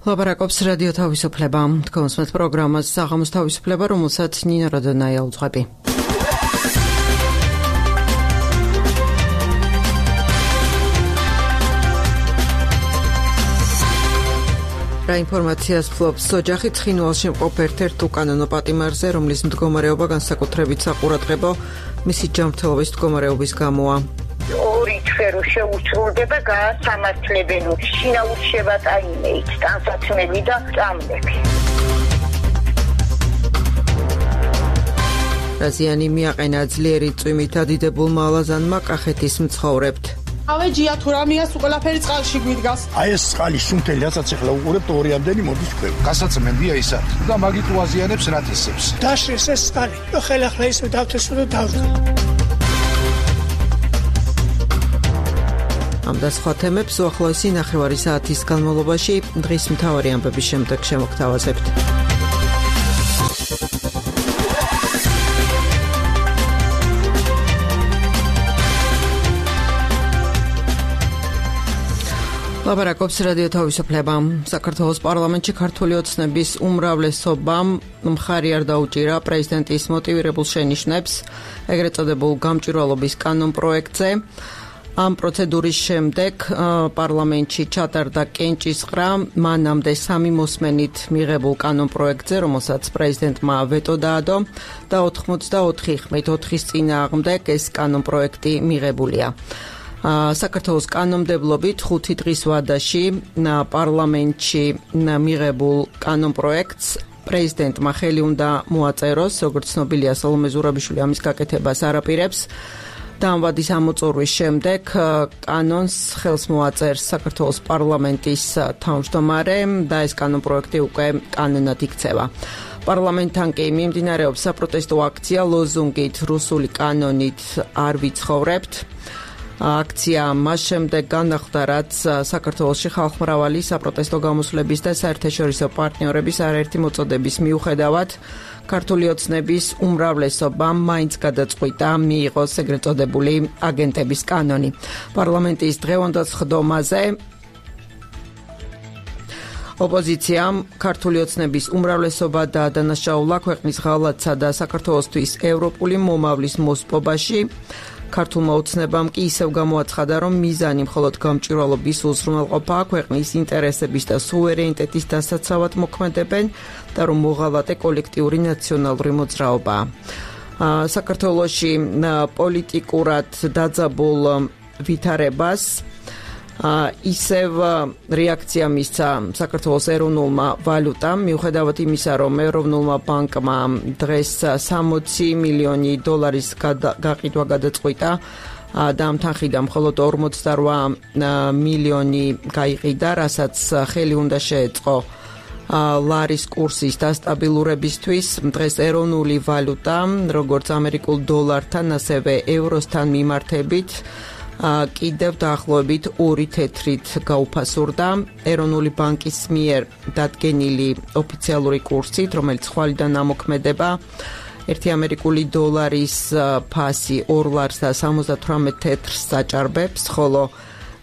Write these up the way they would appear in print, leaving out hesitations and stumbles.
ლაპარაკობს რადიო თავისუფლება. თქვენს მე პროგრამას საღამოს თავისუფლება, რომელსაც ნინა როდონაია უძღვები. რა ინფორმაციას ფლობს ოჯახი ცხინვალში მყოფ ერთ-ერთ უკანონო პატიმარზე, რომლის მდგომარეობა განსაკუთრებით საყურადღებო მისი ჯანმრთელობის მდგომარეობის გამოა. ორი თვერო შეუცვლდება გაასამართლებელო შინაურჩება ტაიმეით ტანსაცმელი და წამლები. რაზიანი მიაყენა ძლიერი წვიმით დადიდებულმა ალაზანმა კახეთის მცხოვრებთ. ავეჯია თუ რამიას ყველაფერი წყალში გვიდგას. აი ეს წყალი სუნთელი რასაც ახლა უყურებთ ორიამდენი მოდის ქვევ. გასაცმენია ისა და მაგით უაზიანებს რათისებს. დაშრეს ეს წყალი. ხელახლა ისე დავთესო და დავდგა. ამ და სხვა თემებს უახლოესი ნახევარი საათის განმავლობაში დღის მთავარი ამბების შემდეგ შემოგთავაზებთ. ლაპარაკობს რადიო თავისუფლება. საქართველოს პარლამენტში ქართული ოცნების უმრავლესობამ მხარი არ დაუჭირა პრეზიდენტის მოტივირებულ შენიშვნებს ეგრეთ წოდებულ გამჭვირვალობის კანონ პროექტზე. ამ პროცედურის შემდეგ პარლამენტში ჩატარდა კენჭისყრა მანამდე 3 მოსმენით მიღებულ კანონ პროექტზე, რომელსაც პრეზიდენტმა ვეტო დაადო და 84 ხმით 4-ის წინააღმდეგ ეს კანონ პროექტი მიღებულია. საქართველოს კანონმდებლობით 5 დღის ვადაში პარლამენტში მიღებულ კანონ პროექტს პრეზიდენტმა ხელი უნდა მოაწეროს, როგორც ცნობილია, სალომე ზურაბიშვილი ამის გაკეთებას არ აპირებს. და ამ ვადის ამოწურვის შემდეგ კანონს ხელს მოაწერს საქართველოს პარლამენტის თავმჯდომარე და ეს კანონ პროექტი უკვე კანონად იქცევა. პარლამენტთან კი მიმდინარეობს საპროტესტო აქცია ლოზუნგით რუსული კანონით არ ვიცხოვრებთ. აქცია მას შემდეგ განახლდა, რაც საქართველოში ხალხმრავალი საპროტესტო გამოსვლების და საერთაშორისო პარტნიორების არაერთი მოწოდების მიუხედავად ქართული ოცნების უმრავლესობამ მაინც გადაწყვიტა მიიღოს ეგრეთ წოდებული აგენტების კანონი. პარლამენტის დღევანდელ სხდომაზე ოპოზიციამ ქართული ოცნების უმრავლესობა და დანაშაულა ქვეყნის ღალატსა და საქართველოსთვის ევროპული მომავლის მოსპობაში. ქართულმა ოცნებამ კი ისევ გამოაცხადა, რომ მიზანი მხოლოდ გამჭვირვალობის უზრუნველყოფა, ქვეყნის ინტერესების და სუვერენიტეტის დასაცავად მოქმედებენ და რომ მოღალატე კოლექტიური ნაციონალური მოძრაობაა. საქართველოში პოლიტიკურად დაძაბულ ვითარებას ისევ რეაქცია მისცა საქართველოს ეროვნულმა ვალუტამ, მიუხედავად იმისა, რომ ეროვნულმა ბანკმა დღეს 60 მილიონი დოლარის გაყიდვა გადაწყვიტა და ამ თანხიდან მხოლოდ 48 მილიონი გაიყიდა, რასაც ხელი უნდა შეეწყო ლარის კურსის დასტაბილურებისთვის. დღეს ეროვნული ვალუტა, როგორც ამერიკულ დოლართან, ასევე ევროსთან მიმართებით კიდევ დაახლოებით 2 თეთრით გაუფასურდა. ეროვნული ბანკის მიერ დადგენილი ოფიციალური კურსით, რომელიც ხვალიდან ამოქმედება, 1 ამერიკული დოლარის ფასი 2 ლარს და 78 თეთრს საჭარბებს, ხოლო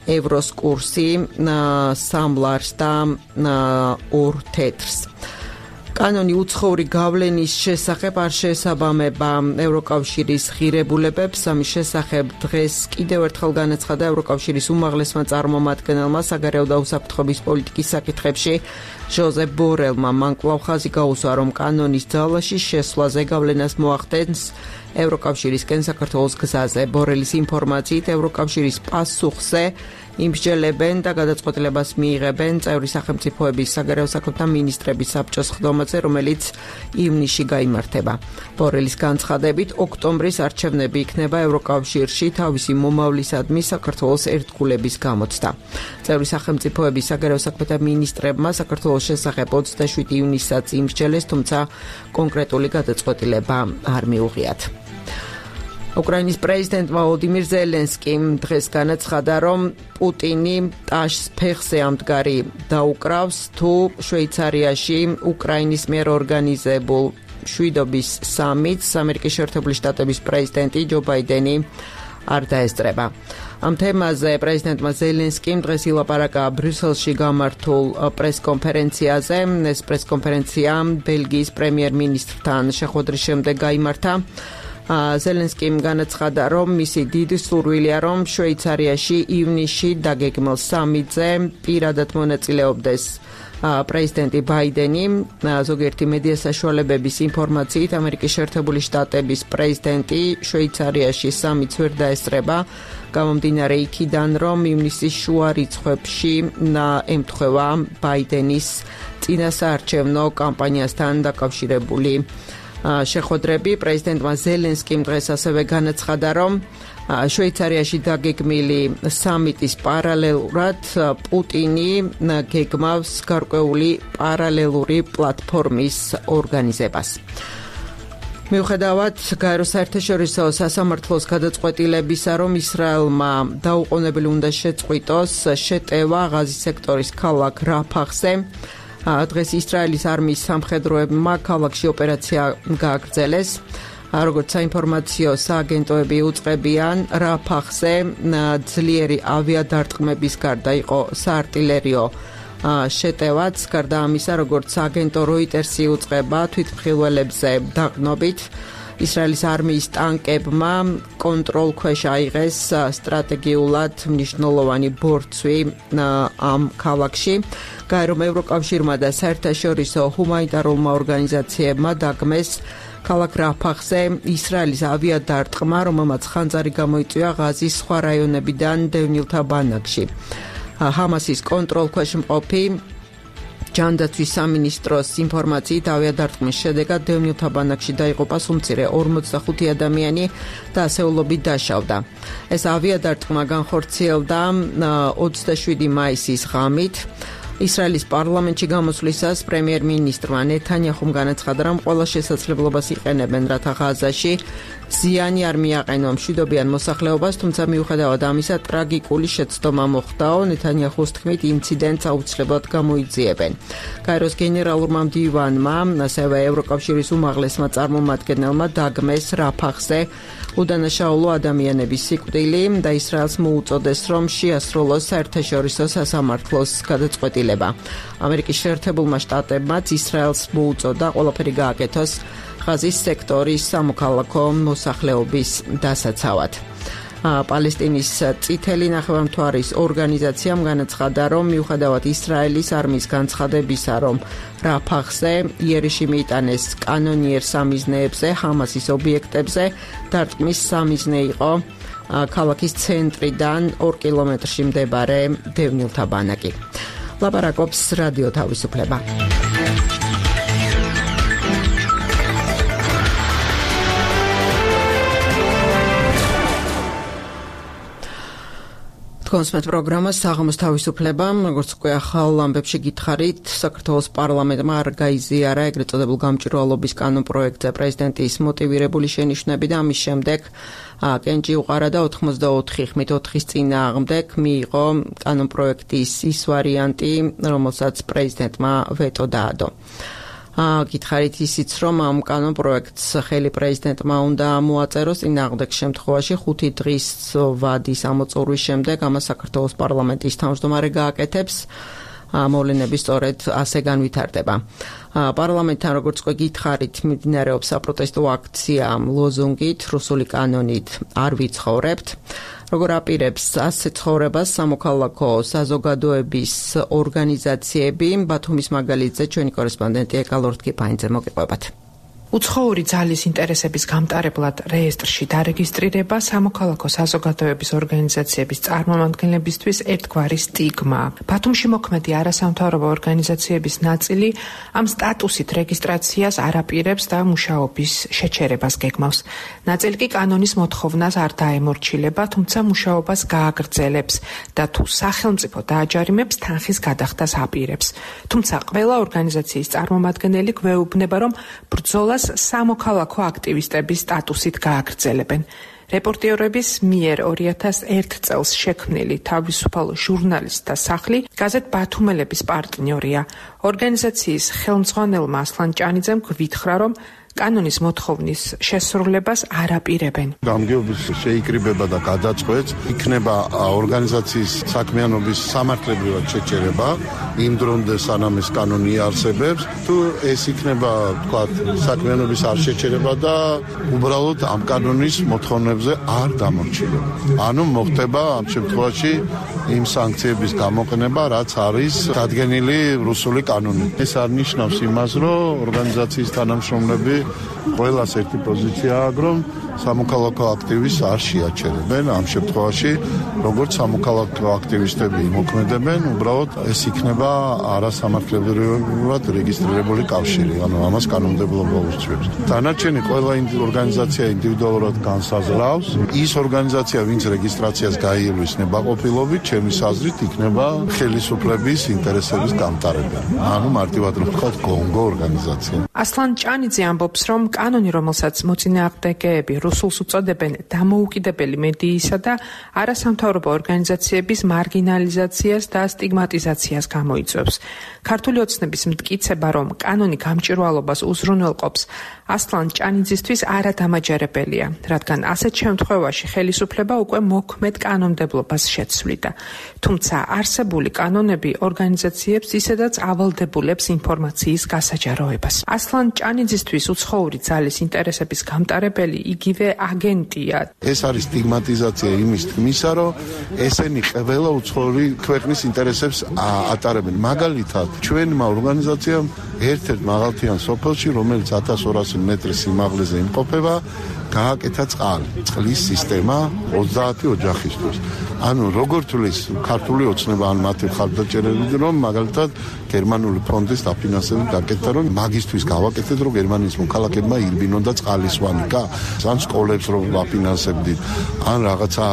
ევროს კურსი 3 ლარს და 2 თეთრს. კანონი უცხოური გავლენის შესახებ არ შეესაბამება ევროკავშირის ღირებულებებს. ამის შესახებ დღეს კიდევ ერთხელ განაცხადა ევროკავშირის უმაღლესმა წარმომადგენელმა საგარეო და უსაფრთხოების პოლიტიკის საკითხებში ჟოზეფ ბორელმა. მან კვლავ ხაზი გაუსვა, რომ კანონის ძალაში შესვლაზე გავლენას მოახდენს ევროკავშირისკენ საქართველოს გზაზე. ბორელის ინფორმაციით ევროკავშირის პასუხზე იმსჯელებენ და გადაწყვეტილებას მიიღებენ წევრი სახელმწიფოების საგარეო საქმეთა მინისტრების საბჭოს სხდომაზე, რომელიც ივნისში გაიმართება. ბორელის განცხადებით, ოქტომბრის არჩევნები იქნება ევროკავშირში თავისი მომავლისადმი საქართველოს ერთგულების გამოცდა. წევრი სახელმწიფოების საგარეო საქმეთა მინისტრებმა საქართველოს შესახებ 27 ივნისსაც იმსჯელეს, თუმცა კონკრეტული გადაწყვეტილება არ მიუღიათ. უკრაინის პრეზიდენტმა ვლადიმირ ზელენსკიმ დღეს განაცხადა, რომ პუტინი ტაშს ფეხზე ამდგარი დაუკრავს, თუ შვეიცარიაში უკრაინის მიერ ორგანიზებულ შვიდობის სამიტს ამერიკის შეერთებული შტატების პრეზიდენტი ჯო ბაიდენი არ დაესწრება. ამ თემაზე პრეზიდენტმა ზელენსკიმ დღეს ილაპარაკა ბრიუსელში გამართულ პრესკონფერენციაზე. ეს პრესკონფერენცია ბელგიის პრემიერ-მინისტრთან შეხვედრის შემდეგ გაიმართა. ზელენსკიმ განაცხადა, რომ მისი დიდი სურვილია, რომ შვეიცარიაში ივნისში დაგეგმილ სამიტზე პირადად მონაწილეობდეს პრეზიდენტი ბაიდენი. ზოგიერთი მედია საშუალებების ინფორმაციით, ამერიკის შეერთებული შტატების პრეზიდენტი შვეიცარიაში სამიტს ვერ დაესწრება, გამომდინარე იქიდან, რომ ივნისის შუა რიცხვებში ემთხვევა ბაიდენის წინასაარჩევნო კამპანიასთან დაკავშირებული შეხვედრები. პრეზიდენტმა ზელენსკიმ დღეს ასევე განაცხადა, რომ შვეიცარიაში დაგეგმილი სამიტის პარალელურად პუტინი გეგმავს გარკვეული პარალელური პლატფორმის ორგანიზებას. მიუხედავად გაერო საერთაშორისო სასამართლოს გადაწყვეტილებისა, რომ ისრაელმა დაუყოვნებელი უნდა შეწყვიტოს შეტევა ღაზის სექტორის ქალაქ რაფახზე, დღეს ისრაელის არმიის სამხედროებმა ქალაქში ოპერაცია გააგრძელეს. როგორც საინფორმაციო სააგენტოები უწყებიან, რაფახზე ძლიერი ავიადარტყმების გარდა იყო საარტილერიო შეტევაც. გარდა ამისა, როგორც სააგენტო როიტერსი უწყება, თვითმხილველებზე დაყრდნობით ისრაელის არმიის ტანკებმა კონტროლქვეშ აიღეს სტრატეგიულად მნიშვნელოვანი ბორცვი ამ ქალაქში. გაერო ევროკავშირმა და საერთაშორისო ჰუმანიტარულმა ორგანიზაციებმა დაგმეს ქალაქ რაფახზე ისრაელის ავიადარტყმა, რომელმაც ხანძარი გამოიწვია ღაზის სხვა რაიონებიდან დევნილთა ბანაკში. ჰამასის კონტროლქვეშ მყოფი ჯანდაცვის სამინისტროს ინფორმაციით, ავიადარტყმის შედეგად დევნილთა ბანაკში დაიღუპა სულ მცირე 45 ადამიანი და ასეულობით დაშავდა. ეს ავიადარტყმა განხორციელდა 27 მაისის ღამით. ისრაელის პარლამენტში გამოსვლისას პრემიერ-მინისტრმა ნეთანიაჰუმ განაცხადა, რომ ყველა შესაძლებლობას იყენებენ, რათა ღაზაში ზიანი არ მიაყენონ მშვიდობიან მოსახლეობას, თუმცა მიუხედავად ამისა ტრაგიკული შეცდომა მოხდაო. ნეთანიაჰუს თქმით, ინციდენტს აუცილებლად გამოიძიებენ. გაეროს გენერალურმა მდივანმა, ასევე ევროკავშირის უმაღლესმა წარმომადგენელმა დაგმეს რაფახზე უდანაშაულო ადამიანების სიკვდილი და ისრაელს მოუწოდეს, რომ შეასრულოს საერთაშორისო სასამართლოს გადაწყვეტილება. ამერიკის შეერთებულმა შტატებმაც ისრაელს მოუწოდა ყველაფერი გააკეთოს ღაზის სექტორის სამოქალაქო მოსახლეობის დასაცავად. პალესტინის წითელი ნახევარმთვარის ორგანიზაციამ განაცხადა, რომ მიუხედავად ისრაელის არმიის განცხადებისა, რომ რაფახზე იერიში მიიტანეს კანონიერ სამიზნეებზე, ჰამასის ობიექტებზე, დარტყმის სამიზნე იყო ქალაქის ცენტრიდან 2 კილომეტრში მდებარე დევნილთა ბანაკი. ლაპარაკობს რადიო თავისუფლება. კონსმეთ პროგრამა საღამოს თავისუფლება, როგორც უკვე ახალ ამბებში გითხარით, საქართველოს პარლამენტმა არ გაიზიარა ეგრეთ წოდებულ გამჭვირვალობის კანონპროექტზე პრეზიდენტის მოტივირებული შენიშვნები და ამის შემდეგ კენჭი უყარა და 84 ხმით 4-ის წინააღმდეგ მიიღო კანონპროექტის ის ვარიანტი, რომელსაც პრეზიდენტმა ვეტო დაადო. გითხარით ისიც, რომ ამ კანონპროექტს ხელი პრეზიდენტმა უნდა მოაწეროს, წინააღმდეგ შემთხვევაში 5 დღის ვადის ამოწურვის შემდეგ ამას საქართველოს პარლამენტის თავმჯდომარე გააკეთებს. მოვლენები სწორედ ასე განვითარდება. პარლამენტთან, როგორც უკვე გითხარით, მიმდინარეობს საპროტესტო აქცია ლოზუნგით რუსული კანონით არ ვიცხოვრებთ. როგორ აპირებს ასე ცხოვრებას სამოქალაქო საზოგადოების ორგანიზაციები, ბათუმის მაგალითზე ჩვენი კორესპონდენტი ეკალორთკი ფაინძე მოგიყვებათ. უცხოური ძალის ინტერესების გამტარებლად რეესტრში დარეგისტრირება სამოქალაქო საზოგადოების ორგანიზაციების წარმომადგენლებისთვის ერთგვარი სტიგმა. ბათუმში მოქმედი არასამთავრობო ორგანიზაციების ნაწილი ამ სტატუსით რეგისტრაციას არ აპირებს და მუშაობის შეჩერებას გეგმავს. ნაწილი კი კანონის მოთხოვნას არ დაემორჩილება, თუმცა მუშაობას გააგრძელებს და თუ სახელმწიფო დააჯარიმებს, თანხის გადახდას აპირებს. თუმცა ყველა ორგანიზაციის წარმომადგენელი გვეუბნება, რომ ბრძოლას სამოქალაქო აქტივისტების სტატუსით გააგრძელებენ. რეპორტიორების მიერ 2001 წელს შექმნილი თავისუფალ ჟურნალისტთა სახლი გაზეთ ბათუმელების პარტნიორია. ორგანიზაციის ხელმძღვანელმა ასლან ჭანიძემ გვითხრა, რომ კანონის მოთხოვნის შესრულებას არ აპირებენ. გამგეობის შეიკრიბება და გადაწყვეტს იქნება ორგანიზაციის საქმიანობის სამართლებრივად შეჩერება იმ დრომდე სანამ ეს კანონი არსებობს. თუ ეს იქნება, ვთქვათ, საქმიანობის არ შეჩერება და უბრალოდ ამ კანონის მოთხოვნებზე არ დამორჩილება. ანუ მოხდება ამ შემთხვევაში იმ სანქციების გამოყენება, რაც არის დადგენილი რუსული კანონით. ეს არ ნიშნავს იმას, რომ ორგანიზაციის თანამშრომლები ყველას ერთი პოზიციაა, რომ სამოქალაქო აქტივისტს არ შეაჩერებენ. ამ შემთხვევაში როგორც სამოქალაქო აქტივისტები იმოქმედებენ, უბრალოდ ეს იქნება არასამართლებრივად რეგისტრირებული კავშირი, ანუ ამას კანონმდებლობა უსწრებს. დანარჩენი ყველა ორგანიზაცია ინდივიდუალურად განსაზღვრავს. ის ორგანიზაცია, ვინც რეგისტრაციას გაიელვის ნებაყოფილობით, ჩემის აზრით იქნება ხელისუფლების ინტერესების გამტარებელი. ანუ მარტივად რომ ვთქვათ, გონგო ორგანიზაცია. ასლან ჭანიძე ამბობს, რომ კანონი, რომელსაც მოწინააღმდეგეები რუსულს უწოდებენ დამოუკიდებელი მედიისა და არასამთავრობო ორგანიზაციების მარგინალიზაციას და სტიგმატიზაციას გამოიწვევს. ქართული ოცნების მტკიცება, რომ კანონი გამჭვირვალობას უზრუნველყოფს, ასლან ჭანიძისთვის არადამაჯერებელია, რადგან ასეთ შემთხვევაში ხელისუფლება უკვე მოქმედ კანონმდებლობას შეცვლიდა. თუმცა არსებული კანონები ორგანიზაციებს ისედაც ავალდებულებს ინფორმაციის გასაჯაროებას. ასლან ჭანიძისთვის უცხოური ძალის ინტერესების გამტარებელი იგივე აგენტია. ეს არის სტიგმატიზაცია იმის თქმისა, რომ ესენი ყველა უცხოური ქვეყნის ინტერესებს ატარებენ. მაგალითად, ჩვენმა ორგანიზაციამ ერთ-ერთ მაღალმთიან სოფელში, რომელიც 1200 მეტრის სიმაღლეზე იმყოფება, გააკეთა წყლის სისტემა 30 ოჯახისთვის. ანუ როგორ თulis ქართული ოცნება ან მათი მხარდაჭერები, რომ მაგალითად გერმანული ფონდის დაფინანსებით გაკეთდა, რომ მაგისტვის გავაკეთეთ, რომ გერმანიის მოქალაქეებმა ირბინონ და წყალისვანიკა, ან სკოლებს რომ ვაფინანსებდით, ან რაღაცა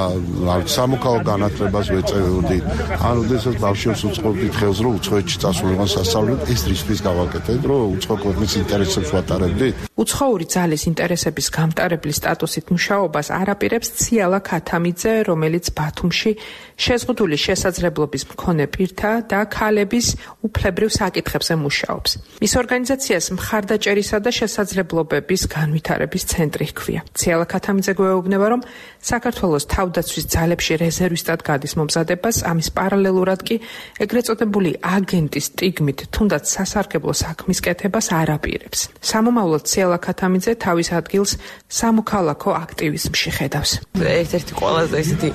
სამოქალაქო განათლებას ვეწევდით, ან ოდესაც ბავშვებს უწყობდით ხელს, რომ უცხოეთში წასულიყონ სასწავლებლად, ეს რისთვის გავაკეთეთ, რომ უცხო ქვეყნის ინტერესებს ვატარებდით. უცხოური ძალის ინტერესების გამტარებლის სტატუსით მუშაობას არაპირებს ციალა ქათამიძე, რომელიც ბათუმში შეზღუდული შესაძლებლობის მქონე პირთა და ქალების უფლებრივ საკითხებზე მუშაობს. მის ორგანიზაციას მხარდაჭერისა და შესაძლებლობების განვითარების ცენტრი ჰქვია. ციალა ქათამიძე გვეუბნება, რომ საქართველოს თავდაცვის ძალებში რეზერვისტად გადის მომზადებას, ამის პარალელურად კი ეგრეთ წოდებული აგენტის სტიგმით თუნდაც სასარგებლო საქმის კეთებას არაპირებს. სამომავლოდ ციალა ქათამიძე თავის ადგილს სამოქალაქო აქტივიზმში ხედავს. ერთ-ერთი ყველაზე ისეთი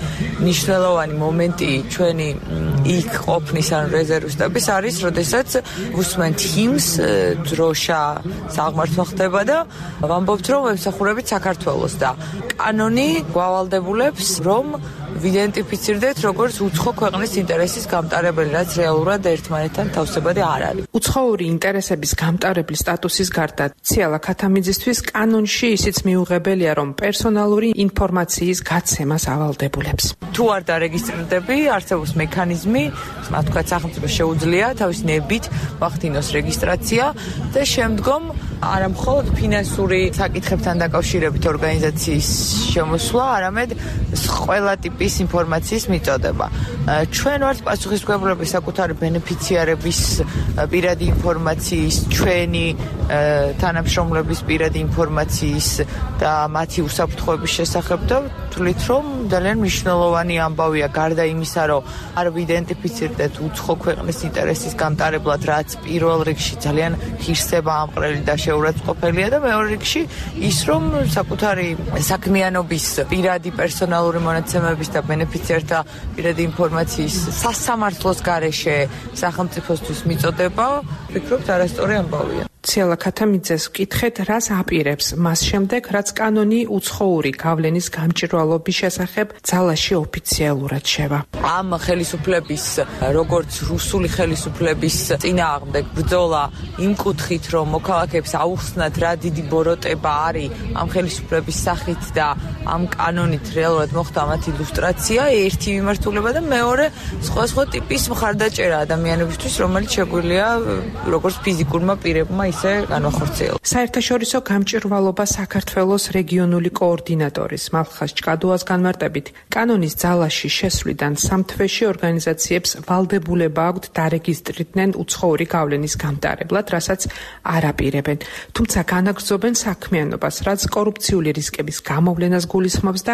მნიშვნელოვანი მომენტი ჩვენი იქ ყოფნის ან რეზერვისტების არის, როდესაც ვუსმენთ ჰიმს, დროშა საღმართვა ხდება და ვამბობთ, რომ ვემსახურებით საქართველოს და კანონი გვავალდებულებს, რომ ვიდენტიფიცირდეთ როგორც უცხო ქვეყნის ინტერესის გამტარებელი, რაც რეალურად ერთმანეთთან თავსებადი არ არის. უცხოური ინტერესების გამტარებლის სტატუსის გარდა ციალა ქათამიძისთვის კანონში ისიც მიუღებელია, რომ პერსონალური ინფორმაციის გაცემას ავალდებულებს. თუ არ დარეგისტრირდები, არსებობს მექანიზმი, მათ თქვა სახელმწიფო შეუძლია თავის ნებით ვახდინოს რეგისტრაცია და შემდგომ არა მხოლოდ ფინანსური საკითხებთან დაკავშირებით ორგანიზაციის შემოსვლა, არამედ ყველა ტიპის ინფორმაციის მიწოდება. ჩვენ ვართ პასუხისმგებლები საკუთარი ბენეფიციარების პირადი ინფორმაციის, ჩვენი თანამშრომლების პირადი ინფორმაციის და მათი უსაფრთხოების შესახებ და ვთვლით, რომ ძალიან მნიშვნელოვანი ამბავია გარდა იმისა, რომ არ ვიდენტიფიცირდეთ უცხო ქვეყნის ინტერესის გამტარებლად, რაც პირველ რიგში ძალიან ღირსება ამყრელი და შეურაცხყოფელია და მეორე რიგში ის, რომ საკუთარი საქმიანობის პირადი პერსონალური მონაცემების და ბენეფიციართა პირადი ინფორმაციის სასამართლოს გარეშე სახელმწიფოსთვის მიწოდება, ვფიქრობთ, არასწორი ამბავია. ციალა ქათამიძეს ვკითხეთ, რას აპირებს მას შემდეგ, რაც კანონი უცხოური გავლენის გამჭვირვალობის შესახებ ძალაში ოფიციალურად შევა. ამ ხელისუფლების, როგორც რუსული ხელისუფლების წინააღმდეგ ბრძოლა იმ კუთხით, რომ მოქალაქეებს აუხსნათ, რა დიდი ბოროტება არის ამ ხელისუფლების სახით და ამ კანონით რეალურად მოხდა მათი ილუსტრაცია, ერთი მიმართულება და მეორე სხვა ტიპის მხარდაჭერა ადამიანებისთვის, რომელიც შეგვიძლია როგორც ფიზიკურმა პირებმა, ესე განვახორციელოთ. საერთაშორისო გამჭვირვალობა საქართველოს რეგიონული კოორდინატორის მალხას ჭკადუას განმარტებით, კანონის ძალაში შესვლიდან 3 თვეში ორგანიზაციებს ვალდებულება აქვთ დარეგისტრირდნენ უცხოური გავლენის გამტარებლად, რასაც არ აპირებენ. თუმცა განაგრძობენ საქმიანობას, რაც კორუფციული რისკების გამოვლენას გულისხმობს და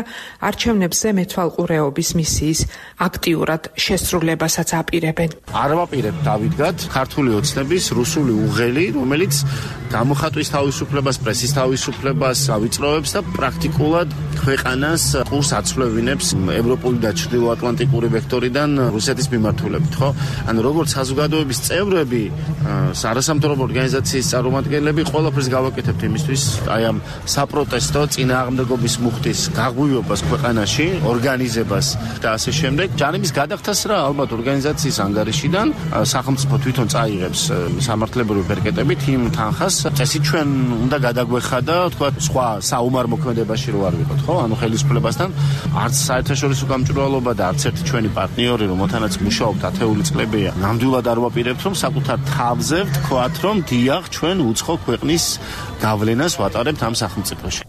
არჩევნებზე მეთვალყურეობის მისიის აქტიურად შესრულებასაც აპირებენ. არ ვაპირებ დავიდგათ ქართული ოცნების რუსული უღელი, რომელიც გამოხატვის თავისუფლებას, პრესის თავისუფლებას ავიწროვებს და პრაქტიკულად ქვეყანას ყურს აცვლევინებს ევროპული და ჩრდილოატლანტიკური ვექტორიდან რუსეთის მიმართულებით, ხო? ანუ როგორც საზოგადოების წევრები, არასამთავრობო ორგანიზაციის წარმომადგენლები ყველაფერს გავაკეთებთ იმისთვის, აი ამ საპროტესტო წინააღმდეგობის მუხტის გაღვივებას ქვეყანაში, ორგანიზებას და ასე შემდეგ. ჯანების გადახდას რა ალბათ ორგანიზაციის ანგარიშიდან სახელმწიფო თვითონ წაიღებს სამართლებრივი ბერკეტებით იმ თანხას. წესი ჩვენ უნდა გადაგვეხადა, თქვა სხვა საომარ მოქმედებაში რო არ ვიყოთ, ხო? ანუ ხელისუფლებასთან არც საერთაშორისო გამჭვირვალობა და არც ერთი ჩვენი პარტნიორი, რომელთანაც მუშაობთ ათეული წლებია, ნამდვილად არ ვაპირებთ, რომ საკუთარ თავზე ვთქვათ, რომ დიახ, ჩვენ უცხო ქვეყნის გავლენას ვატარებთ ამ სახელმწიფოში.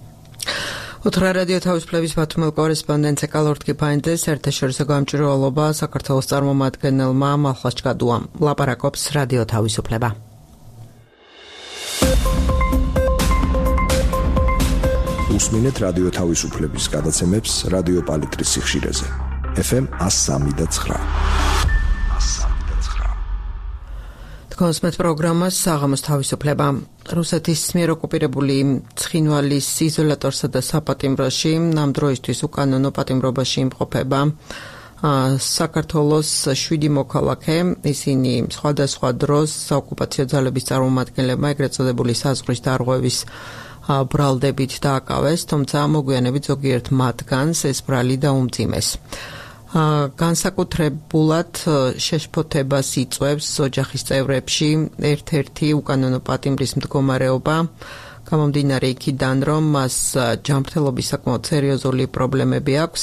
უთხრა რადიო თავისუფლების ბათუმელ კორესპონდენტ ეკალორტკიფაინძე საერთაშორისო გამჭვირვალობა საქართველოს წარმომადგენელმა მალხას ჭკადუამ ლაპარაკობს რადიო თავისუფლება. უსმინეთ რადიო თავისუფლების გადაცემებს რადიო პალიტრის სიხშირეზე. FM 103.9. კონსმეთ პროგრამას საღამოს თავისუფლება. რუსეთის მიერ ოკუპირებული ცხინვალის იზოლატორსა და საპატიმროში ამ დროისთვის უკანონო პატიმრობაში იმყოფება საქართველოს 7 მოქალაქე. ისინი სხვადასხვა დროს საოკუპაციო ძალების წარმომადგენლებმა ეგრეთ წოდებული საზღვრის დარღვევის ბრალდებით დააკავეს, თუმცა მოგვიანებით ზოგიერთ მათგანს ეს ბრალი დაუმძიმეს. განსაკუთრებულად შეშფოთებას იწვევს ოჯახის წევრებში ერთ-ერთი უკანონო პატიმრის მდგომარეობა, გამომდინარე იქიდან, რომ მას ჯანმრთელობის საკმაოდ სერიოზული პრობლემები აქვს.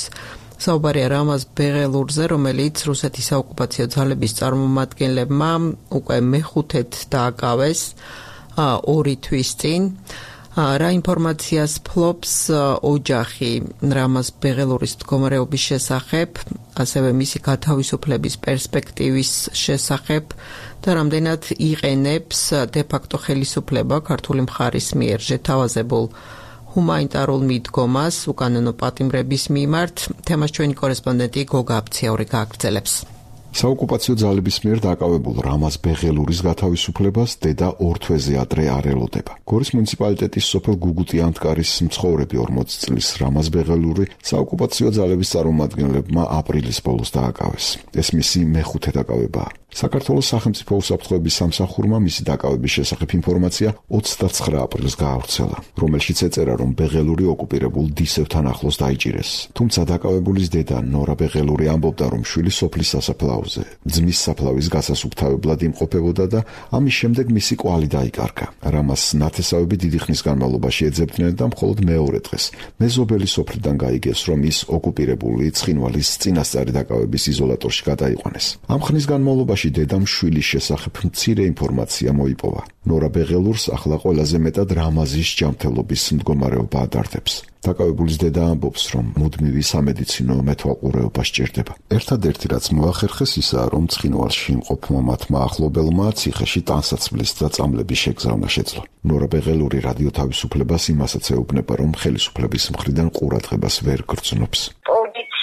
საუბარია რამაზ ბეღელურზე, რომელიც რუსეთის საოკუპაციო ძალების წარმომადგენლებმა უკვე მეხუთედ დააკავეს 2 თვის წინ. რა ინფორმაციას ფლობს ოჯახი რამაზ ბეღელურის მდგომარეობის შესახებ, ასევე მისი გათავისუფლების პერსპექტივის შესახებ და რამდენად იყენებს დე-ფაქტო ხელისუფლება ქართული მხარის მიერ შეთავაზებულ ჰუმანიტარულ მიდგომას უკანონო პატიმრების მიმართ. თემას ჩვენი კორესპონდენტი გოგა აფციური გააგრძელებს. საოკუპაციო ძალების მიერ დაკავებულ რამაზ ბეღელურის გათავისუფლებას დედა 2 თვეზე ადრე არ ელოდება. გორის მუნიციპალიტეტის სოფელ გუგუტიანტკარის მცხოვრები 40 წლის რამაზ ბეღელური საოკუპაციო ძალების წარმომადგენლებმა აპრილის ბოლოს დააკავეს. ეს მისი მეხუთე დაკავებაა. საქართველოს სახელმწიფო უსაფრთხოების სამსახურმა მისი დაკავების შესახებ ინფორმაცია 29 აპრილს გაავრცელა, რომელშიც ეწერა, რომ ბეღელური ოკუპირებულ დისევთან ახლოს დაიჭირეს. თუმცა დაკავებულის დედა ნორა ბეღელური ამბობდა, რომ შვილი სოფლის სასაფლაოზე ძმის საფლავის გასასუფთავებლად იმყოფებოდა და ამის შემდეგ მისი კვალი დაიკარგა. რამას ნათესავები დიდი ხნის განმავლობაში ეძებდნენ და მხოლოდ მეორე დღეს მეზობელი სოფლიდან გაიგეს, რომ ის ოკუპირებული ცხინვალის წინასწარი დაკავების იზოლატორში გადაიყვანეს. ამ ხნის განმავლობაში დედამ შვილის შესახებ მცირე ინფორმაცია მოიპოვა. ნორა ბეღელურს ახლა ყველაზე მეტად რამაზის ჯანმრთელობის მდგომარეობა ადარდებს. დაკავებულის დედა ამბობს, რომ მუდმივი სამედიცინო მეთვალყურეობა სჭირდება. ერთადერთი რაც მოახერხეს ისაა, რომ ცხინვალში იმყოფმა მათმა ახლობელმა ციხეში ტანსაცმლის და წამლების შეგზავნა შეძლო. ნორა ბეღელური რადიო თავისუფლებას იმასაც ეუბნება, რომ ხელისუფლების მხრიდან ყურადღებას ვერ გრძნობს.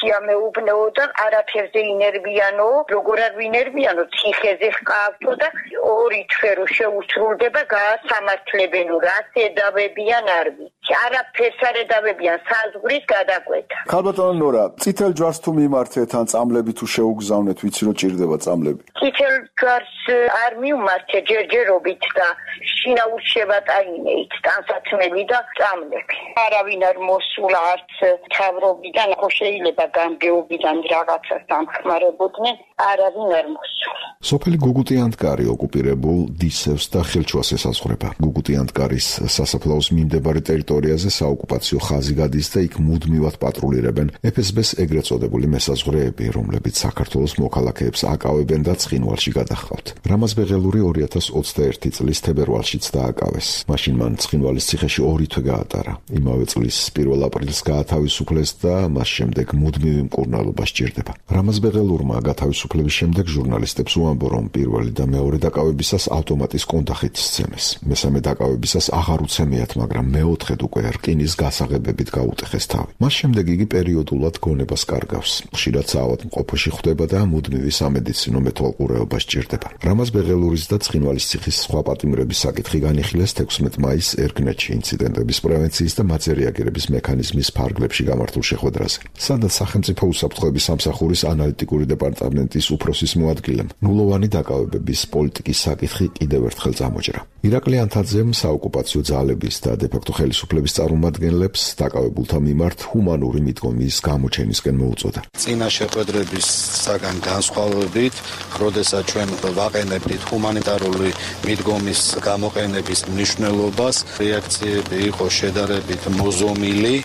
მეუბნეოდა არაფერზე ინერვიანო, როგორ არ ვინერვიანო, ციხეზე ჰყავთო და 2 თვე რო შეუსრულდება გაასამართლებენო, რაც ედავებიან არ ვიცი. არაფერს არ ედავებიან საზღვრის გადაკვეთა. ქალბატონო ნორა, წითელ ჯვარს თუ მიმართეთ ან წამლები თუ შეუგზავნეთ, ვიცი რომ ჭირდება წამლები. წითელ ჯვარს არ მიმართე ჯერჯერობით და შინაურ შევატაინეით ტანსაცმელი და წამლები. არავინ არ მოსულა არც თავრობიდან, ხო შეიძლება გამგეობიდან რაღაცას დამხმარებოდნენ, არავინ არ მოსულა. სოფელი გუგუტიანტკარი ოკუპირებულ დისევს და ხელჩუას ესაზღვრება. გუგუტიანტკარის სასაფლაოს მიმდებარე ტერიტორია ტერიტორიაზე საოკუპაციო ხაზი გადის და იქ მუდმივად პატრულირებენ FSB-ს ეგრეთ წოდებული მესაზღვრეები, რომლებიც საქართველოს მოქალაქეებს აკავებენ და ცხინვალში გადაჰყავთ. რამაზ ბეღელური 2021 წლის თებერვალშიც დააკავეს. მაშინ მან ცხინვალის ციხეში 2 თვე გაატარა. იმავე წლის 1 აპრილს გაათავისუფლეს და მას შემდეგ მუდმივი მკურნალობა სჭირდება. რამაზ ბეღელურმა გათავისუფლების შემდეგ ჟურნალისტებს უამბო, რომ პირველი და მეორე დაკავებისას ავტომატის კონდახით სცემეს. მესამე დაკავებისას აღარ უცემიათ, მაგრამ მეოთხედ უკვე რკინის გასაღებებით გაუტეხეს თავი. მას შემდეგ იგი პერიოდულად გონებას კარგავს. ხშირად საავადმყოფოში ხვდება და მუდმივი სამედიცინო მეთვალყურეობა სჭირდება. რამაზ ბეღელურის და ცხინვალის ციხის სხვა პატიმრების საკითხი განიხილეს 16 მაისს ერგნეთში ინციდენტების პრევენციის და მათზე რეაგირების მექანიზმის ფარგლებში გამართულ შეხვედრაზე, სადაც სახელმწიფო უსაფრთხოების სამსახურის ანალიტიკური დეპარტამენტის უფროსის მოადგილემ ნულოვანი დაკავებების პოლიტიკის საკითხი კიდევ ერთხელ წამოჭრა. ირაკლი ანთაძემ საოკუპაციო ძალების და დე-ფაქტო ხელისუფლების წარმომადგენლებს დაკავებულთა მიმართ ჰუმანური მიდგომის გამოჩენისკენ მოუწოდა. წინა შეხვედრებისაგან განსხვავებით, როდესაც ჩვენ ვაყენებდით ჰუმანიტარული მიდგომის გამოყენების მნიშვნელობას, რეაქციები იყო შედარებით მოზომილი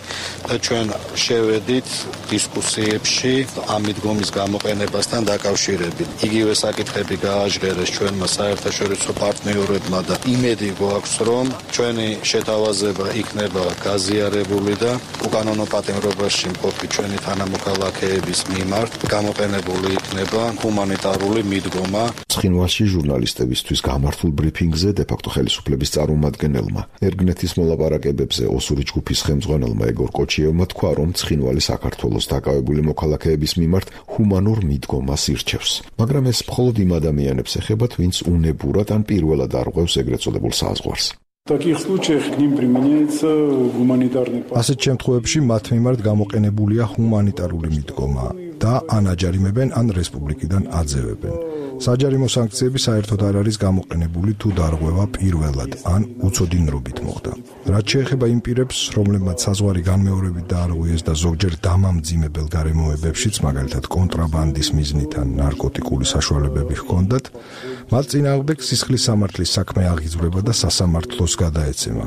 და ჩვენ შევედით დისკუსიებში ამ მიდგომის გამოყენებასთან დაკავშირებით. იგივე საკითხები გააჟღერეს ჩვენმა საერთაშორისო პარტნიორებმა და იმედი გვაქვს, რომ ჩვენი შეთავაზება იქნება გაზიარებული და უკანონო პატიმრობაში მყოფი ჩვენი თანამოქალაქეების მიმართ გამოყენებული იქნება ჰუმანიტარული მიდგომა. ცხინვალში ჟურნალისტებისთვის გამართულ ბრიფინგზე დე-ფაქტო ხელისუფლების წარმომადგენელმა ერგნეთის მოლაპარაკებებზე ოსური ჯგუფის ხელმძღვანელმა ეგორ კოჩიევმა თქვა, რომ ცხინვალი საქართველოს დაკავებული მოქალაქეების მიმართ ჰუმანურ მიდგომას ირჩევს. მაგრამ ეს მხოლოდ იმ ადამიანებს ეხებათ, ვინც უნებურად ან პირველად არღვევს ეგრეთ წოდებულ საზღვარს. ასეთ შემთხვევებში მათ მიმართ გამოყენებულია ჰუმანიტარული მიდგომა და ან აჯარიმებენ, ან რესპუბლიკიდან აძევებენ. საჯარიმო სანქციები საერთოდ არ არის გამოყენებული თუ დარღვევა პირველად ან უცოდინრობით მოხდა. რაც შეეხება იმ პირებს, რომლებმაც საზღვარი განმეორებით დაარღვიეს და ზოგჯერ დამამძიმებელ გარემოებებშიც, მაგალითად კონტრაბანდის მიზნით ან ნარკოტიკული საშუალებები ჰქონდათ, მათ წინააღმდეგ სისხლის სამართლის საქმე აღიძვრება და სასამართლოს გადაეცემა.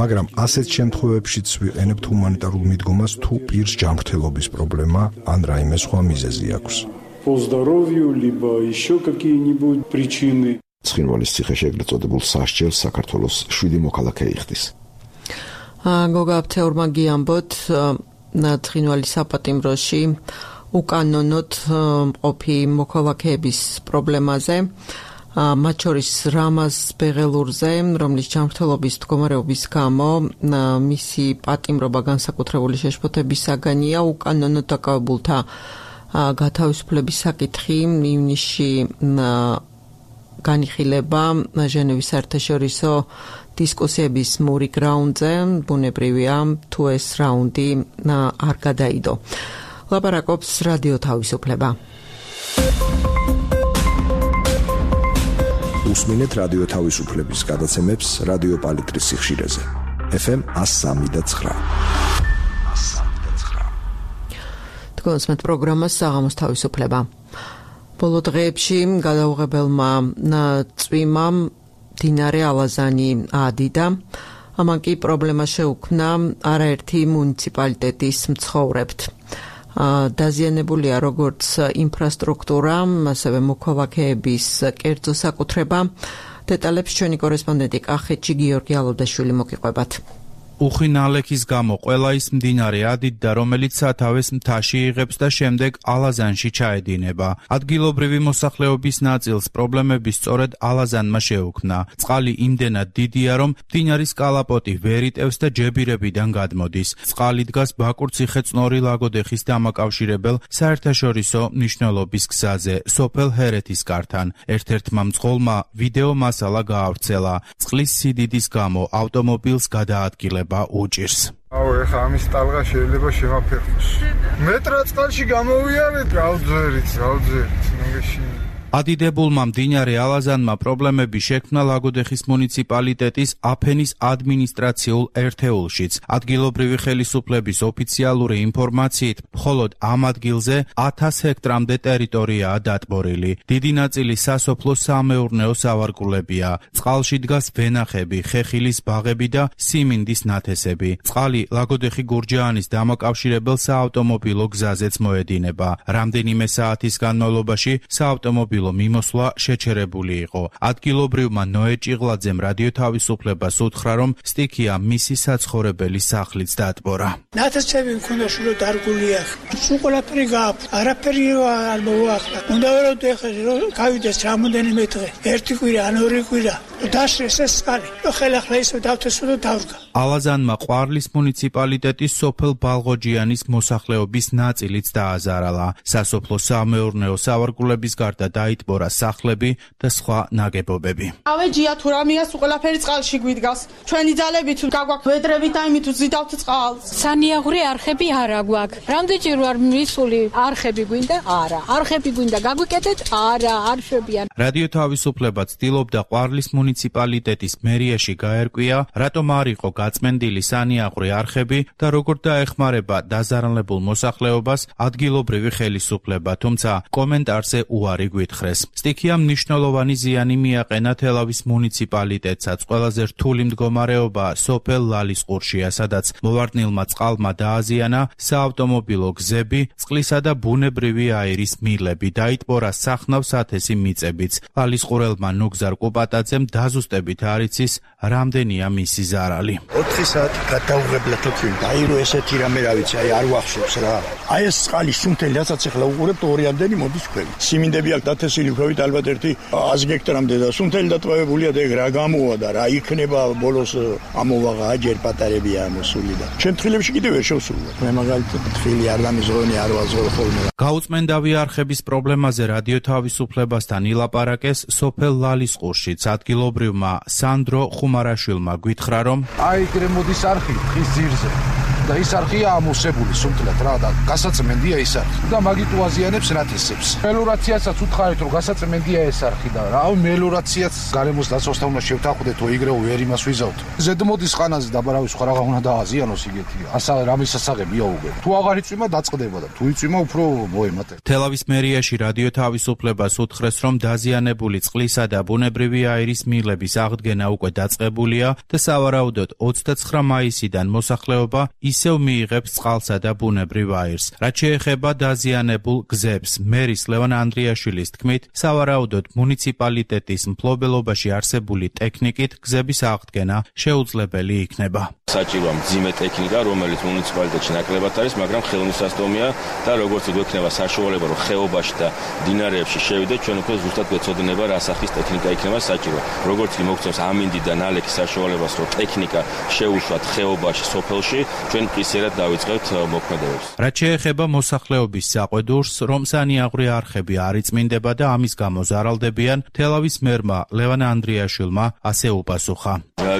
მაგრამ ასეთ შემთხვევებშიც ვიყენებთ ჰუმანიტარულ მიდგომას თუ პირს ჯანმრთელობის პრობლემა ან რაიმე სხვა მიზეზი აქვს. По здоровью, либо еще какие-нибудь причины. ცხინვალის ციხეში ეგრეთ წოდებულ სასჯელს საქართველოს 7 მოქალაქე იხდის. გოგა აფთეურმა გიამბოთ ცხინვალის საპატიმროში უკანონოდ მყოფი მოქალაქეების პრობლემაზე, მათ შორის რამაზ ბეღელურზე, რომლის ჯანმრთელობის მდგომარეობის გამო მისი პატიმრობა განსაკუთრებული შეშფოთებისაგანია. უკანონოდ დაკავებულთა გათავისუფლების საკითხი ივნისში განიხილება ჟენევის საერთაშორისო დისკუსიების მური გრაუნდზე. ბუნებრივია თუ ეს რაუნდი არ გადაიდო. ლაპარაკობს რადიო თავისუფლება. უსმინეთ რადიო თავისუფლების გადაცემებს რადიო პალიტრის სიხშირეზე. FM 103.9. გონსმეთ პროგრამას საღამოს თავისუფლება. ბოლო დღეებში გადაუღებელმა წვიმა მდინარე ალაზანი აადიდა. ამან კი პრობლემა შეუქმნა არაერთი მუნიციპალიტეტის მცხოვრებთ. დაზიანებულია როგორც ინფრასტრუქტურა, ასევე მოქალაქეების კერძო საკუთრება. დეტალებს ჩვენი კორესპონდენტი კახეთში გიორგი ალოდაშვილი მოგიყვებათ. უხინალექის გამო ყველა ის მდინარე ადიდდა, რომელიც სათავეს მთაში იღებს და შემდეგ ალაზანში ჩაედინება. ადგილობრივი მოსახლეობის ნაწილს პრობლემები სწორედ ალაზანმა შეუქმნა. წყალი იმდენად დიდია, რომ მდინარის კალაპოტი ვერ იტევს და ჯებირებიდან გადმოდის. წყალი დგას ბაკურციხე-წნორი ლაგოდეხის დამაკავშირებელ საერთაშორისო მნიშვნელობის გზაზე, სოფელ ჰერეთის კართან. ერთ-ერთმა მძღოლმა ვიდეო მასალა გაავრცელა. წყლის სიდიდის გამო ავტომობილს გადაადგილება უჭირს. ეხა ამის ტალღა შეიძლება შემაფერხოს. მეტრა წყალში გამოვიარეთ, გავძვერით, ნაგეში. ადიდებულმა მდინარე ალაზანმა პრობლემები შექმნა ლაგოდეხის მუნიციპალიტეტის აფენის ადმინისტრაციულ ერთეულშიც. ადგილობრივი ხელისუფლების ოფიციალური ინფორმაციით, მხოლოდ ამ ადგილზე 1000 ჰექტრამდე ტერიტორიაა დატბორილი. დიდი ნაწილი სასოფლო-სამეურნეო სავარგულებია. წყალში დგას ვენახები, ხეხილის ბაღები და სიმინდის ნათესები. წყალი ლაგოდეხი გურჯაანის დამაკავშირებელ საავტომობილო გზაზეც მოედინება. რამდენიმე საათის განმავლობაში საავტომობილო მიმოსვლა შეჩერებული იყო. ადგილობრივმა ნოე ჭიღლაძემ რადიო თავისუფლებას უთხრა, რომ სტიქია მისი საცხოვრებელი სახლიც დატბორა. ნათესები მქონდა შურო დარგულია. სულ ყველაფერი გააფრთხა. არაფერი არ მოახდა. უნდა ვერო ეხლა გავიდეს რამოდენიმე დღე. ერთი კვირა ან ორი კვირა. დაშრეს ეს წყალი. ხელახლა ისე დავთესო და დავდგა. ალაზანმა ყვარლის მუნიციპალიტეტის სოფელ ბალღოჯიანის მოსახლეობის ნაწილიც დააზარალა. სასოფლო-სამეურნეო სავარგულების გარდა დაიტბორა სახლები და სხვა ნაგებობები. ავეჯია თუ რამეა სულ ყველაფერი წყალში გვიდგას. ჩვენი ძალები თუ გაგვაქვს ვედრები და იმით ვზიდავთ წყალს. სანიაღვრე არხები არა გვაქვს. რამდენჯერ ვარ მისული არხები გვინდა? არა. არხები გვინდა გაგვიკეთეთ? არა, არ შვებიან. რადიო თავისუფლება ცდილობდა ყვარლის მუნიციპალიტეტის მერიაში გაერკვია, რატომ არ იყო გაწმენდილი სანიაღვრე არხები და როგორ დაეხმარება დაზარალებულ მოსახლეობას ადგილობრივი ხელისუფლება, თუმცა კომენტარზე უარი გვითხრეს. სტიქიამ მნიშვნელოვანი ზიანი მიაყენა თელავის მუნიციპალიტეტსაც. ყველაზე რთული მდგომარეობა სოფელ ლალისყურშია, სადაც მოვარდნილმა წყალმა დააზიანა საავტომობილო გზები, წყლისა და ბუნებრივი აირის მილები, დაიტბორა სახნავს ათესი მიწებიც. ლალისყურელმა ნუგზარ კუპატაძემ დაზუსტებით არ იცის, რამდენია მისი ზარალი. 4 საათი გადაუღებლად თქვილდა. აირო ესეთი რამე რა ვიცი, არ ვახშობს რა. აი ეს წყალი სუნთელი რასაც ახლა უყურებთ ორიამდენი მოდის ქვევით. სიმინდები აქ დათესილი ქვევით ალბათ ერთი 100 ჰექტრამდე და სუნთელი დატოვებულია და ეგ რა გამოვა და რა იქნება ბოლოს ამოვაღა აჯერ პატარებია მოსული და ჩვენ თხილებში კიდევ ვერ შევსულვართ. მე მაგალითად თხილი არ დამიზღონი არ ვაზღობ ხოლმე. გაუწმენდავი არხების პრობლემაზე რადიო თავისუფლებასთან ილაპარაკეს სოფელ ლალისყურშიც. ადგილობრივმა სანდრო ხუმარაშვილმა გითხრა, რომ აი ეგრე მოდის არხი ხის ძირზე და ის არხია ამოსებული სუნთლად რა და გასაწმენდია ის არხი და მაგით უაზიანებს ნათესებს. მელორაციასაც უთხარით რომ გასაწმენდია ეს არხი და რა მელორაციაც გარემოს დაცვასთან უნდა შევთანხმდეთ თუ იგრეო ვერ იმას ვიზავთ. ზედმოდის ხანაზე დაბარავის სხვა რაღა უნდა დააზიანოს იგეთია. ასა რამის სასაღებია უგებ. თუ აღარ იწვიმა დაწყდება და თუ იწვიმა უფრო მოემატება. თელავის მერიაში რადიო თავისუფლებას უთხრეს, რომ დაზიანებული წყლისა და ბუნებრივი აირის მილების აღდგენა უკვე დაწყებულია და სავარაუდოდ 29 მაისიდან მოსახლეობა ისევ მიიღებს წყალსა და ბუნებრივ აირს. რაც შეეხება დაზიანებულ გზებს, მერის ლევან ანდრიაშვილის თქმით, სავარაუდოდ მუნიციპალიტეტის მფლობელობაში არსებული ტექნიკით გზების აღდგენა შეუძლებელი იქნება. საჭიროა მძიმე ტექნიკა, რომელიც მუნიციპალიტეტში ნაკლებად არის, მაგრამ ხელმისაწვდომია და როგორც გვექნება საშუალება, რომ ხეობაში და მდინარეებში შევიდეთ, ჩვენ უკვე ზუსტად გვეცოდინება რა სახის ტექნიკა იქნება საჭირო. როგორც კი მოგწევს ამინდი და ნალექის საშუალებას, რომ ტექნიკა შეუშვათ ხეობაში, სოფელში, ჩვენ პისერად დავიწყებთ მოქმედებებს. რაც შეეხება მოსახლეობის საყვედურს, რომ სანიაღვრე არხები არ იწმინდება და ამის გამო ზარალდებიან, თელავის მერმა ლევან ანდრიაშვილმა ასე უპასუხა.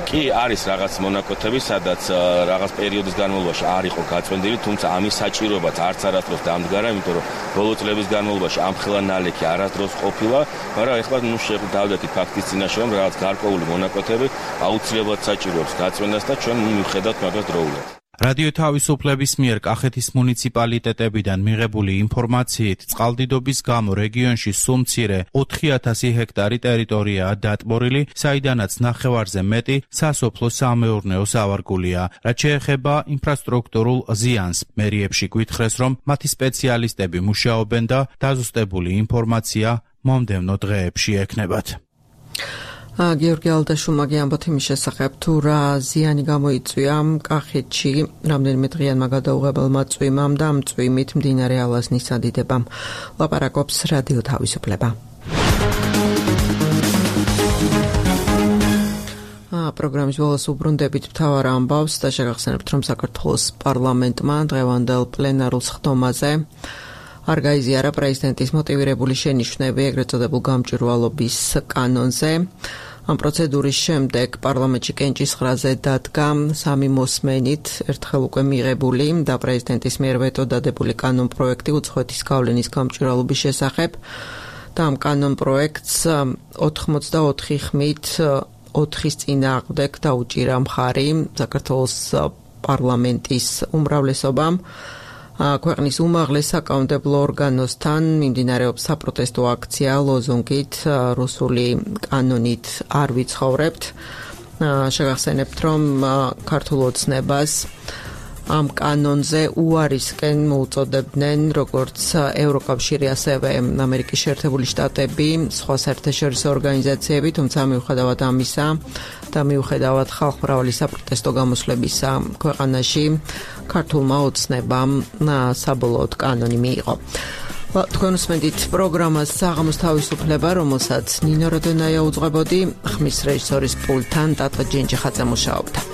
კი არის რაღაც მონაკვეთები, სადაც რაღაც პერიოდის განმავლობაში არ იყო გაწმენდილი, თუმცა ამის საჭიროებაც არც არასდროს დამდგარა, იმიტომ რომ ბოლო წლების განმავლობაში ამხელა ნალექი არასდროს ყოფილა, მაგრამ ეხლა შევდავდით ფაქტის წინაშე, რომ რაღაც გარკვეული მონაკვეთები აუცილებლად საჭიროებს გაწმენდას და ჩვენ მივხედავთ მაგას დროულად. რადიო თავისუფლების მიერ კახეთის მუნიციპალიტეტებიდან მიღებული ინფორმაციით, წყალდიდობის გამო რეგიონში სულ მცირე 4000 ჰექტარი ტერიტორიაა დატბორილი, საიდანაც ნახევარზე მეტი სასოფლო-სამეურნეო სავარგულია. რაც შეეხება ინფრასტრუქტურულ ზიანს, მერიებში გვითხრეს, რომ მათი სპეციალისტები მუშაობენ და დაზუსტებული ინფორმაცია მომდევნო დღეებში ექნებათ. გიორგი ალდაშულმა გიამბოთ იმის შესახებ, თუ რა ზიანი გამოიწვია კახეთში რამდენიმე დღიანმა გადაუღებელმა წვიმამ და ამ წვიმით მდინარე ალაზნის ადიდებამ. ლაპარაკობს რადიო თავისუფლება. პროგრამის ბოლოს უბრუნდებით მთავარ ამბავს და შეგახსენებთ, რომ საქართველოს პარლამენტმა დღევანდელ პლენარულ სხდომაზე არ გაიზიარა პრეზიდენტის მოტივირებული შენიშვნები ეგრეთ წოდებულ გამჭვირვალობის კანონზე. ამ პროცედურის შემდეგ პარლამენტში კენჭისყრაზე დადგა 3 მოსმენით ერთხელ უკვე მიღებული და პრეზიდენტის მიერ ვეტო დადებული კანონ პროექტი უცხოეთის გავლენის გამჭვირვალობის შესახებ და ამ კანონ პროექტს 84 ხმით 4-ის წინააღმდეგ დაუჭირა მხარი საქართველოს პარლამენტის უმრავლესობამ. ქვეყნის უმაღლეს საკანონმდებლო ორგანოსთან მიმდინარეობს საპროტესტო აქცია ლოზუნგით რუსული კანონით არ ვიცხოვრებთ. შეგახსენებთ, რომ ქართულ ოცნებას ამ კანონზე უარისკენ მოუწოდებდნენ როგორც ევროკავშირი, ასევე ამერიკის შეერთებული შტატები, სხვა საერთაშორისო ორგანიზაციები, თუმცა მიუხედავად ამისა და მიუხედავად ხალხმრავალი საპროტესტო გამოსვლებისა ქვეყანაში, ქართულმა ოცნებამ საბოლოოდ კანონი მიიღო. თქვენ უსმენთ პროგრამას საღამოს თავისუფლება, რომელსაც ნინო როდონაია უძღვებოდი, ხმის რეჟისორის პულტთან ტატო ჯინჯიხაძე მუშაობდა.